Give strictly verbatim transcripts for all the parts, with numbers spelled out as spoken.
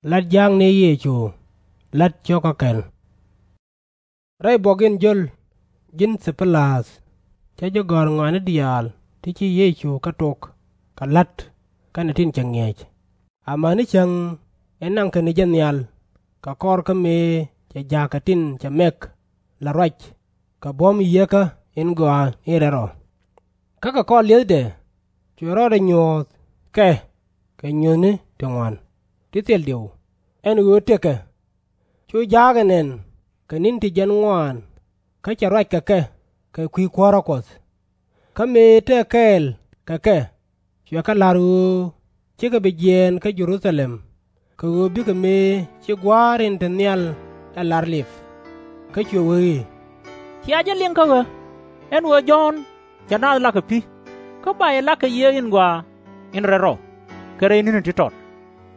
Lat ja̱a̱k ni Yecu. Lät cio̱kä kɛl. Rɛy buɔk in jio̱l, ji̱n Thi-pi-läth, cä ji̱ gɔ̱r ŋɔaani diaal ti ci Yecu kɛ tok kɛ la̱t kɛnɛ tin cɛ ŋi̱eec, amäni cäŋ in naŋkɛ ni jɛ nhial kɛ kɔr kä mëë cɛ ja̱a̱kɛ tin cɛ mɛk la ruac kɛ buɔ̱m Yieekä in Gɔaa in Rɛl Rɔ. Kä kɛ kɔr li̱ethdɛ cuɛ rɔɔdɛ nyuɔ̱th kɛ kɛ nyuuthni ti ŋuan ti thil diw, ɛn ɣöö tëkɛ. Cu ja̱a̱k ɛ nɛn kɛ ni̱n ti jiɛn ŋuaan, kä cɛ ruac kɛ kɛ kɛ kui̱ kuäärä Kuɔth. Kä mëë tëë kɛɛl kɛ kɛ, cuɛ kɛ la̱r ɣöö /cikɛ bi jiɛɛn kä Jɛ-ru-tha-lɛm, kɛ ɣöö bikɛ mëë ci Gua̱a̱r in te nhial ɛ la̱r lip. Kä cuɛ wee i̱, Cia jɛ liŋ kä ɣä, ɛn ɣöö Jɔ̱ɔ̱n cɛ naath lak kɛ pi̱, kä ba yɛ lak kɛ Yieekä in Gɔaa in Rɛl Rɔ kɛ rɛy ni̱ni ti tɔt.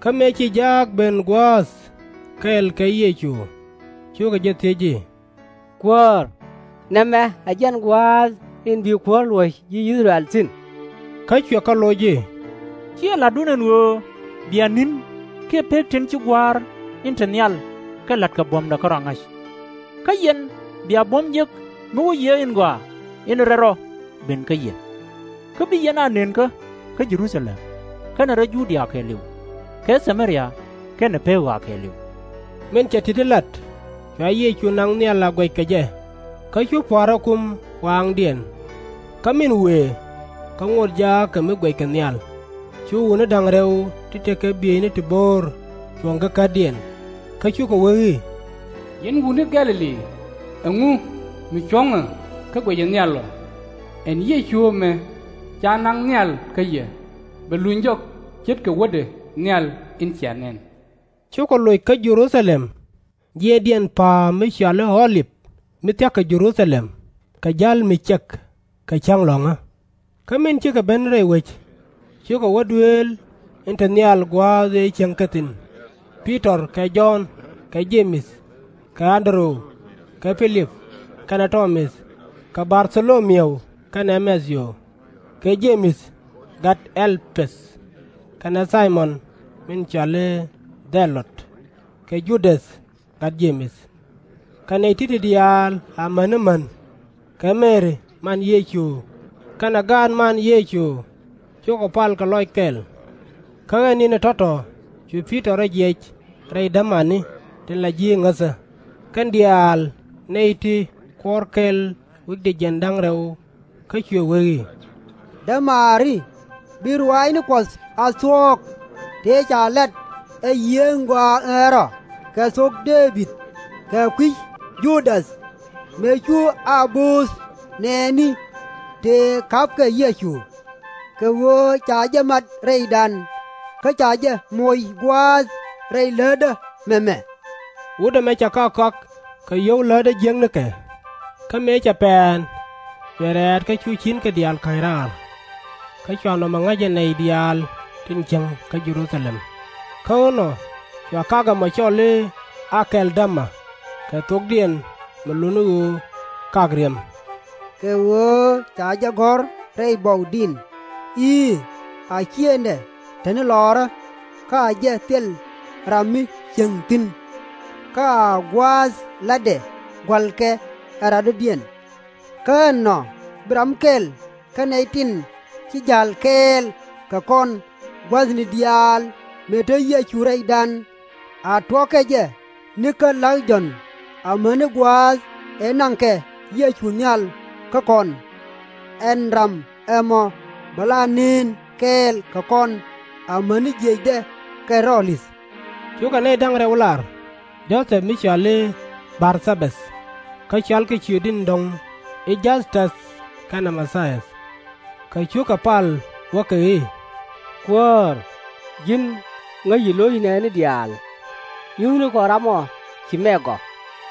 Kä mëë ci ja̱a̱k ben gua̱a̱th kɛɛl kɛ Yecu, cukɛ jɛ thiec i̱, Kuäär, nɛmɛ ɛ jɛn gua̱a̱th in bi kuäär luɔ̱c ji̱ I-thɛ-rɛl thi̱n? Kä cuɛ kɛ loc i̱, Ciɛ la̱tdun ɛn ɣöö bia ni̱n kiɛ pek tin ci Gua̱a̱r in te nhial kɛ la̱t kɛ buɔ̱mdɛ kärɔa ŋa̱c. Kä yɛn bia buɔ̱m jek mi wä Yieekä in Gɔaa in Rɛl Rɔ ben kä yɛ. Kä bi yɛn a nënkä kä Jɛ-ru-tha-lɛm, kɛnɛ rɛy Ju-dia kɛɛliw, kɛ Tha-mɛ-ria, kɛnɛ pek ɣɔaa kɛɛliw. Min cɛ ti̱ti̱ lat, cua Yecu naŋ nhial a guɛc kɛ jɛ, kä cu pua̱a̱r rɔ kum waaŋdiɛn. Kä min wëë, kä ŋot jaak kɛ mi guɛckɛ nhial, cu wutni da̱ŋ rɛw ti tekɛ bieyni ti bo̱o̱r cuɔ̱ŋ kä kätdiɛn, kä cukɛ wee i̱, Yɛn wutni Gɛ̈-lɛ-li, ɛŋu mi cuɔ̱ŋɛ kä guɛcɛ nhial ɔ? Ɛn Yecu ɛmɛ ca naŋ nhial kä yɛ, bɛ luny jɔk ce̱tkɛ wädɛ nhial in cia nɛn. Cukɛ loc kä Jɛ-ru-tha-lɛm, jiɛɛndiɛn pa̱a̱m mi cɔal i̱ Ɔ-lip, mi thia̱k kɛ Jɛ-ru-tha-lɛm, kɛ ja̱l mi ciɛk kɛ cäŋ lɔ̱ŋä. Kä min cikɛ ben rɛy wec, cukɛ wä duëël in te nhial gua̱a̱th ëë cieŋkɛ thi̱n, Pi-tɔr kɛ Jɔ̱ɔ̱n kɛ Je-mɛth kɛ An-dɛ-röw kɛ Pi-lip kɛnɛ Tɔ-mäth kɛ Bar-tho-lo-miäw kɛnɛ Mɛ̈-thiw kɛ Je-mɛth gat Ɛ̈l-pɛ̈th kɛnɛ Thay-mɔn min cɔal i̱ Dhɛ-lot, kɛ Judäth gat Je-mɛth. Kɛ nɛy ti̱ti̱ diaal amäni män, kɛ Mɛri man Yecu kɛnɛ gaat man Yecu, cukɛ pal kɛ lɔc kɛl. Kä ɛ ni̱n ɛ tɔ̱tɔ̱ cu Pi-tɔr rɔ jiɛc rɛy dämani tin la ji̱ ŋäthä, kɛn diaal nɛy ti kuɔ̱r kɛl wi̱cdɛ jiɛn da̱ŋ rɛw, kä cuɛ wee i̱, Dämaari, bi ruaacni Kuɔth a thuɔ̱k, tëë ca lat ɛ Yieekä in Gɔaa in Rɛl Rɔ kɛ thok Dee-bid, kɛ kui̱ Judäth, mëë cu a bööth nɛɛni tëë ka̱pkɛ Yecu. Kɛ ɣöö ca jɛ mat rɛydan, kä ca jɛ moc gua̱a̱th rɛy läätdä mɛmɛ. Wut ɛmɛ cɛ kak kɔak kɛ yio̱w läätdä jiäknikɛ. Kä mëë cɛ pɛ̈ɛ̈n, cuɛ rɛ̈ɛ̈t kä cu ci̱nkɛ diaal ka̱ny raar. Kä cua nɔmɔ ŋa̱c ɛ nɛy diaal tin cieŋ kä Jɛ-ru-tha-lɛm. Kä inɔ cua kak ɛmɔ cɔl i̱ Akɛ̈l-dä-ma, kɛ thokdiɛn mi lot ni ɣöö Kak Riɛm. Kɛ ɣöö ca jɛ gɔ̱r rɛy buɔk di̱n i̱, A ciëŋdɛ te ni lɔrä, kä a jɛ thil ram mi cieŋ thi̱n, kä a gua̱a̱th la̱tdɛ gua̱lkɛ ɛ radɔ̱diɛn. Kä ɛnɔ bi ram kɛl kä nɛy tin ci ja̱l kɛɛl kɛ kɔn gua̱thni diaal mëë te Yecu rɛydan, a tuɔ̱kɛ jɛ ni kä la̱k Jɔ̱ɔ̱n amäni gua̱a̱th ëë naŋkɛ Yecu nhial kä kɔn. Ɛn ram ɛmɔ bɛ la nën kɛɛl kɛ kɔn amäni jiëcdɛ kɛ rɔɔlith. Cukɛ nɛy da̱ŋ rɛw lar, Jo-thɛp mi cɔal i̱ Bar-tha-bäth, kä cɔalkɛ ciötdiɛn dɔ̱ŋ i̱ Jäth-täth kɛnɛ Ma-thi-ath. Kä cukɛ pal wäkɛ i̱, Kuäär, ji̱n ŋäci lo̱c nɛɛni diaal. Nyuthni kɔ ram ɔ ci mɛk ɔ,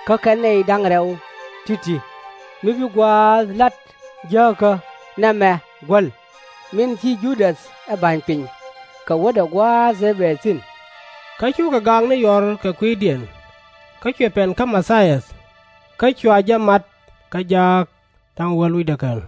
kä kɛn nɛy da̱ŋ rɛw ti̱ti̱, mi bi gua̱a̱th la̱t jääkä nɛmɛ guäl, min ci Judäth ɛ ba̱ny piny, kɛ wädɛ gua̱a̱th ëë bɛ thi̱n. Kä cukɛ gaakni yɔr kɛ kui̱diɛn, kä cuɛ pɛn kä Ma-thi-ath, kä cua jɛ mat kä jaak da̱ŋ wäl wi̱cdɛ kɛl.